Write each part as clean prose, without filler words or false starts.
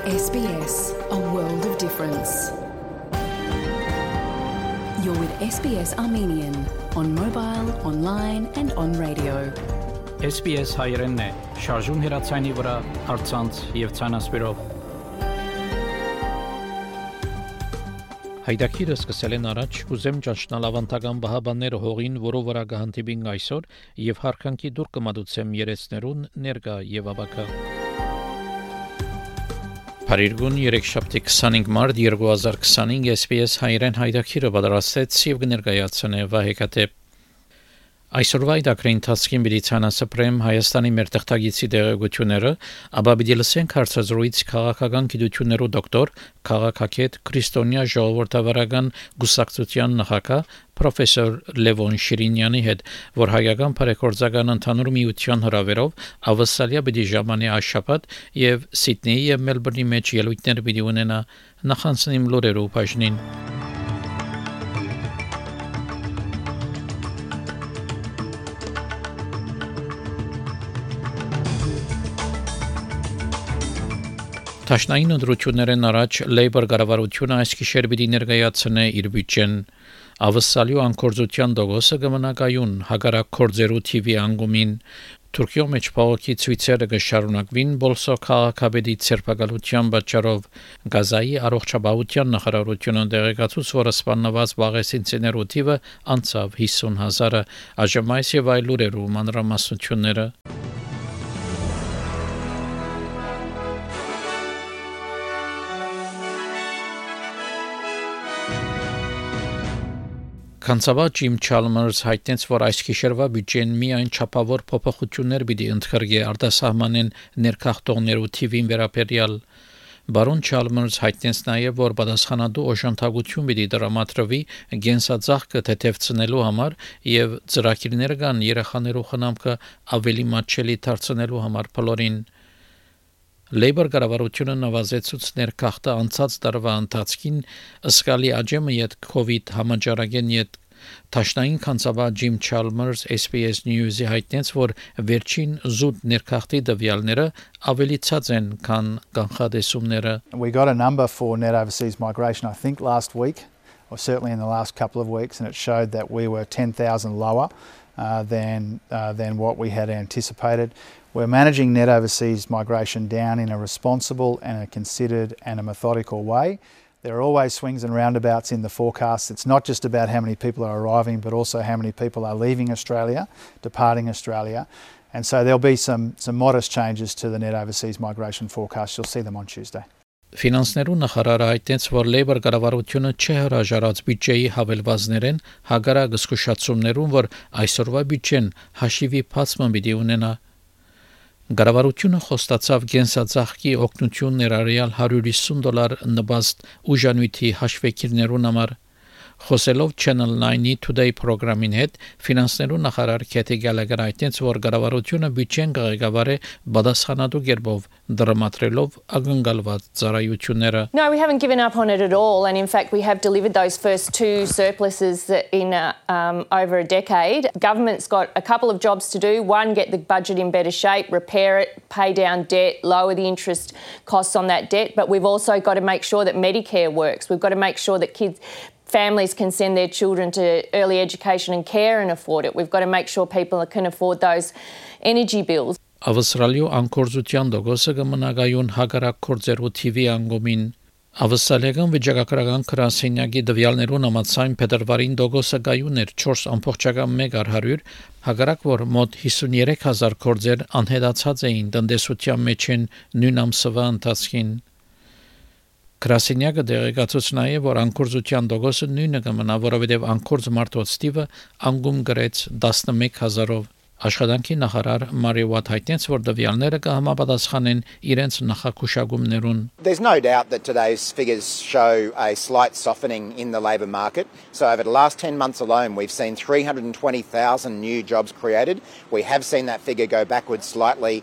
SBS, a world of difference. You're with SBS Armenian on mobile, online and on radio. SBS հայերենն է, շարժուն հեռացայինի վրա, առցանց եւ ցանասպիրով։ Հայդակիրը սկսել են առաջ, ուզեմ ճանչնալ ավանդական բահաբանները հողին, որով վրա կհանդիպին այսօր եւ հարկանքի դուր կմատուցեմ երեցներուն ներկա եւ աբակա։ Փարիգուն 3-5 մարտ 2025 SBS հայերեն հայդակիրը պատրաստեց եւ կներկայացնե Վահեկատեպ։ Այսօրվա այդակրի ընթացքին պիտի ցանասպրեմ Հայաստանի մեր թղթագիտի դերակցությունները, ապա պիտի լսենք հարցազրույց քաղաքական գիտություններու դոկտոր, քաղաքագետ Քրիստոնյա ժողովրդավարական գուսակցության նախագահ պրոֆեսոր Լևոն Շիրինյանի հետ, որ հայկական բարեգործական ընդհանուր միության հրավերով ավսալիա պիտի ժամանի աշաբաթ եւ Սիդնեի եւ Մելբուրնի մեջ ելույթներ պիտի ունենա նախանցնիմ լուրերու բաժնին։ Տաշնային ընդրություններն առաջ Labour կառավարությունը այս գիշեր պիտի ներկայացնե իր բյուջեն։ Ավսալիու անկորձության դոգոսը կմնակայուն հագարակ կորձերու TV անգումին Թուրքիո մեջ փողոքի ցույցերը կշարունակվին բոլսո քաղաքապետի ցերպակալության պատճառով Գազայի առողջապահության նախարարությունը տեղեկացուց, որ սպանված բաղեսինցիներու թիվը անցավ 50,000-ը, այժմ այս եւ այլ լուրերու մանրամասնությունները։ Կանցավա Ջիմ Չալմերս հայտնեց, որ այս գիշերվա բյուջեն միայն չափավոր փոփոխություններ պիտի ընդգրկի արտասահմանեն ներքախտողներու թիվին վերաբերյալ։ Բարոն Չալմերս հայտնեց նաև, որ պատասխանատու օժանդակություն պիտի դրամատրվի գենսածաղկը թեթևցնելու համար եւ ծրագիրներ կան երեխաներու խնամքը ավելի մատչելի դարձնելու համար բոլորին։ Labour կառավարությունը նվազեցուց ներքախտը անցած տարվա ընթացքին ըսկալի աճեմը յետ COVID համաճարակեն յետ Տաշնային կանցավա Ջիմ Չալմերս SBS News-ի հայտնեց, որ վերջին զուտ ներքախտի տվյալները ավելի ցած են, քան կանխատեսումները։ We got a number for net overseas migration, I think last week, or certainly in the last couple of weeks, and it showed that we were 10,000 lower than what we had anticipated. We're managing net overseas migration down in a responsible and a considered and a methodical way. There are always swings and roundabouts in the forecast. It's not just about how many people are arriving, but also how many people are leaving Australia, departing Australia. And so there'll be some modest changes to the net overseas migration forecast. You'll see them on Tuesday. Ֆինանսներու նախարարը հայտնեց, որ Labour կառավարությունը չի հրաժարած բյուջեի հավելվածներեն հագարակ զսկուշացումներուն, որ այսօրվա բյուջեն հաշիվի բացման պիտի ունենա։ Կառավարությունը խոստացավ գենսածաղկի օգնություն ներառյալ $150 նպաստ ուժանույթի հաշվեկիրներուն համար։ Խոսելով Channel 9-ի Today պրոգրամին հետ, ֆինանսներու նախարար Քեթի Գալագեր հայտնեց, որ կառավարությունը բյուջեն կղեկավարի պատասխանատու կերպով դրամատրելով ակնկալված ծառայությունները։ No, we haven't given up on it at all, and in fact we have delivered those first two surpluses in over a decade. Government's got a couple of jobs to do. One, get the budget in better shape, repair it, pay down debt, lower the interest costs on that debt, but we've also got to make sure that Medicare works. We've got to make sure that families can send their children to early education and care and afford it. We've got to make sure people can afford those energy bills. Ավստրալիու անկորձության դոգոսը կմնակայուն հագարակ կորձերու TV անգումին Ավստրալիական վիճակագրական գրասենյակի տվյալներուն համաձայն փետրվարին դոգոսը գայուն էր 4.1%, հագարակ որ մոտ 53,000 կորձեր անհետացած էին տնտեսության մեջ նույն ամսվա ընթացքին։ Գրասենյակը տեղեկացուց նաև, որ անկորձության դոգոսը նույնը կմնա, որովհետև անկորձ մարդոց թիվը անգում գրեց 11,000-ով։ Աշխատանքի նախարար Մարի Ուատ հայտնեց, որ տվյալները կհամապատասխանեն իրենց նախակուշակումներուն։ There's no doubt that today's figures show a slight softening in the labour market. So over the last 10 months alone, we've seen 320,000 new jobs created. We have seen that figure go backwards slightly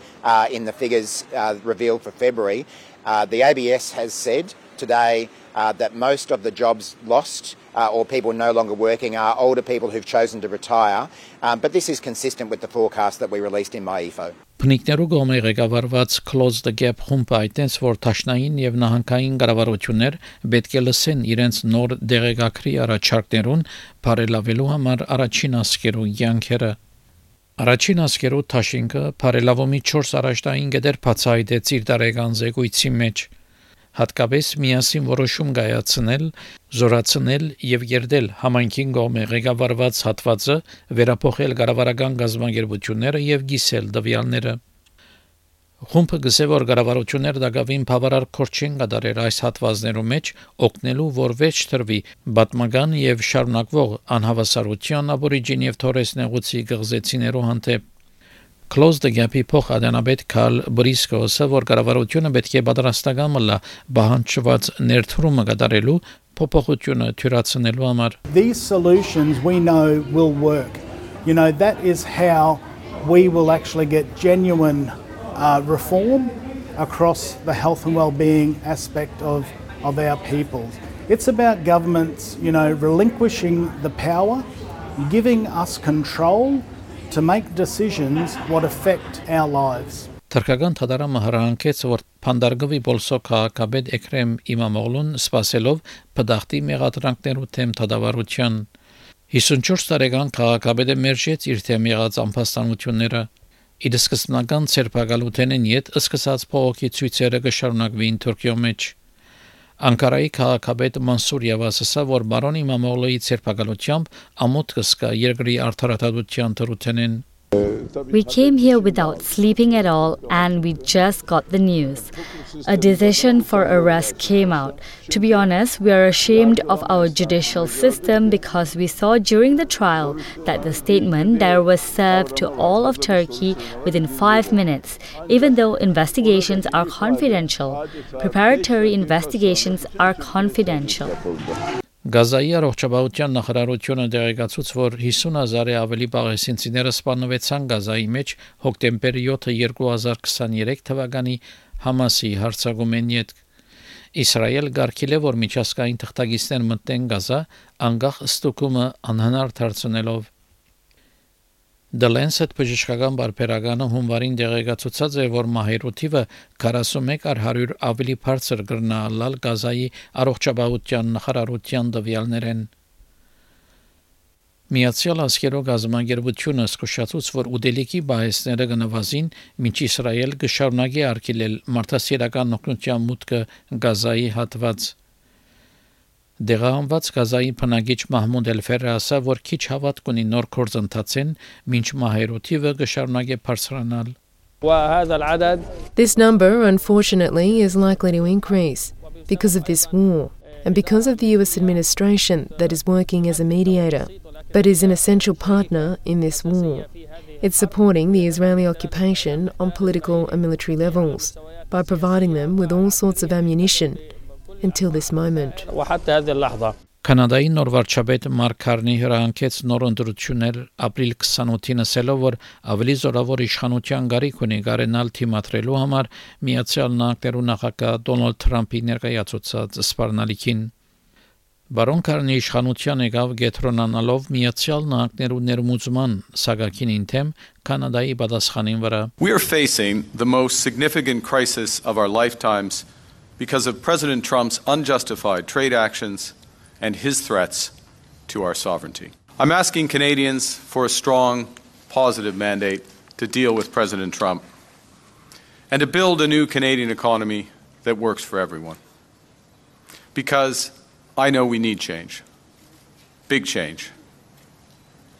in the figures revealed for February. The ABS has said today that most of the jobs lost or people no longer working are older people who've chosen to retire. But this is consistent with the forecast that we released in MyEFO. Փնիկներու գոմե ղեկավարված Close the Gap խումբը այտենց որ տաշնային եւ նահանգային կառավարություններ պետք է լսեն իրենց նոր դեղեկագրի առաջարկներուն բարելավելու համար առաջին ասկերու յանքերը Առաջին ասկերու Թաշինկը բարելավումի 4 առաջնային գդեր բացահայտեց իր տարեկան զեկույցի մեջ հատկապես միասին որոշում կայացնել, զորացնել եւ երդել համայնքին գոմե ղեկավարված հատվածը վերափոխել կառավարական գազམ་ագերբությունները եւ գիսել դվյալները Խումբը գսե որ կառավարությունները դակավին բավարար քորչ չեն կատարել այս հատվածներու մեջ օգնելու որ վեճ տրվի բատմական եւ շարունակվող անհավասարության աբորիջին եւ թորես նեղուցի գղզեցիներու հանդեպ Close the Gap-ի փոխադենաբեդ Քալ Բրիսկոսը որ կառավարությունը պետք է պատրաստական մլա բանջված ներդրումը կատարելու փոփոխությունը թյուրացնելու համար These solutions we know will work. You know that is how we will actually get genuine reform across the health and well-being aspect of our people. It's about governments, you know, relinquishing the power, giving us control to make decisions what affect our lives. Թրկական թադարամը հրահանգեց որ Փանդարգվի բոլսո քաղաքապետ Էքրեմ Իմամօղլուն սպասելով բդախտի մեղադրանքներու թեմ թադավարության 54 տարեկան քաղաքապետը մերժեց իր թեմ եղած անփաստանությունները Իր սկզբնական ցերպակալութենեն յետ սկսած փողոքի ցույցերը կշարունակվին Թուրքիո մեջ Անկարայի քաղաքապետ Մանսուր Յավասը որ բարոն Իմամօղլուի ցերպակալությամբ ամոթ կսկա երկրի արդարադատության թրութենեն We came here without sleeping at all and we just got the news. A decision for arrest came out. To be honest, we are ashamed of our judicial system because we saw during the trial that the statement there was served to all of Turkey within 5 minutes, even though investigations are confidential. Preparatory investigations are confidential. Գազայի առողջապահության նախարարությունը դեղեկացուց, որ 50,000-ը ավելի պաղեստինցիները սպանվեցան Գազայի մեջ հոկտեմբեր 7-ը 2023 թվականի Համասի հարձակումեն յետ Իսրայել գարկել է, որ միջազգային թղթակիցներ մտնեն Գազա, անկախ ստուգումը անհնար դարձնելով The Lancet բժշկական բարբերականը հունվարին դեղեկացուցած է, որ մահերու թիվը 41/100 ավելի բարձր կրնալալ Գազայի առողջապահության նախարարության տվյալներեն։ Միացյալ Աշխարհի գազամագերբությունը զսկուշացուց, որ ուդելիքի բահեսները կնվազին, մինչ Իսրայել կշարունակի արգելել մարդասիրական օգնության մուտքը Գազայի հատված։ Դեղահանված Գազայի բնակիչ Մահմուդ Էլ-Ֆերը ասա, որ քիչ հավատք ունի նոր գործընթացին, մինչ մահերու թիվը կշարունակի բարձրանալ։ This number, unfortunately, is likely to increase because of this war and because of the US administration that is working as a mediator, but is an essential partner in this war. It's supporting the Israeli occupation on political and military levels by providing them with all sorts of ammunition until this moment. Կանադայի նոր վարչապետ Մարկ Քարնի հրահանգեց նոր ընտրություններ ապրիլ 28-ին ասելով, որ ավելի զորավոր իշխանության գարիք ունի գարենալ թիմատրելու համար Միացյալ Նահանգներու նախագահ Դոնալդ Թրամփի ներկայացուցած սպառնալիքին։ Բարոն Քարնի իշխանության եկավ գետրոնանալով Միացյալ Նահանգներու ներմուծման սագակին թեմ Կանադայի պատասխանին վրա։ We are facing the most significant crisis of our lifetimes because of President Trump's unjustified trade actions and his threats to our sovereignty. I'm asking Canadians for a strong, positive mandate to deal with President Trump and to build a new Canadian economy that works for everyone. Because I know we need change. Big change.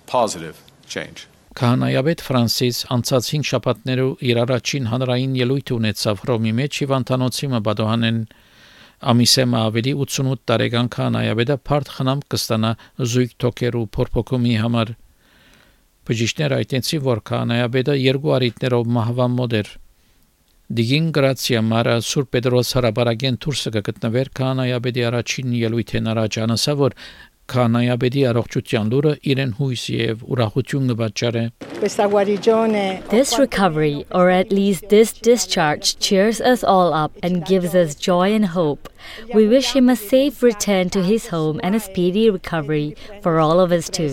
Positive change. Քահանայապետ Ֆրանսիս անցած 5 շաբաթներու իր առաջին հանրային ելույթ ունեցավ Հռոմի մեջ Հիվանդանոցի մբադոհանեն Ամիսեմը ավելի 88 տարեկան քահանայապետը բարդ խնամ կստանա զույգ թոքերու փորփոքումի համար։ Բժիշկները այդտենցի որ քահանայապետը 2 արիտներով մահվան մոտ էր։ Դիգին գրացիա մարա Սուրբ Պետրոս հարաբարագեն դուրսը կգտնվեր քահանայապետի առաջին ելույթեն առաջ անասա որ քահանայապետի առողջության լուրը իրեն հույս եւ ուրախություն կպատճառե։ This recovery, or at least this discharge, cheers us all up and gives us joy and hope. We wish him a safe return to his home and a speedy recovery for all of us too.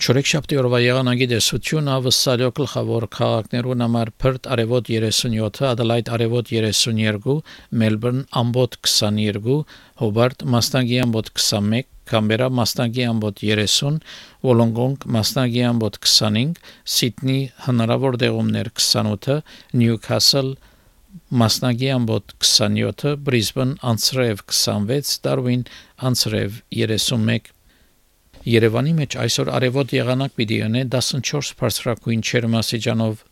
Չորեքշաբթի օրվա եղանակի տեսությունը վսալյո գլխավոր քաղաքներուն համար Perth արևոտ 37, Adelaide արևոտ 32, Melbourne ամբոտ 22, Hobart մասնագի ամբոտ 21, Canberra մասնագի ամբոտ 30, Wollongong մասնագի ամբոտ 25, Sydney հնարավոր դեղումներ 28, Newcastle մասնագի ամբոտ 27, Brisbane անցրև 26, Darwin անցրև 31 Երևանի մեջ այսօր արևոտ եղանակ պիտի ունենա 14 բարձրակույն ջերմաստիճանով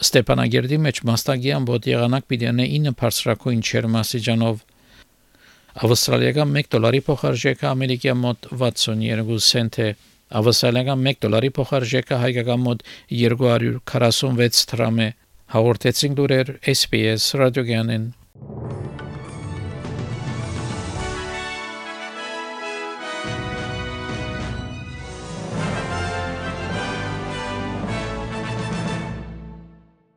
Ստեփանագերդի մեջ մասնագի ամբոտ եղանակ պիտի ունենա 9 բարձրակույն ջերմաստիճանով Ավստրալիական $1 փոխարժեքը ամերիկյան մոտ 62 سنت է Ավստրալիական $1 փոխարժեքը հայկական մոտ 246 դրամ է Հաղորդեցին լուրեր SPS ռադիոգյանեն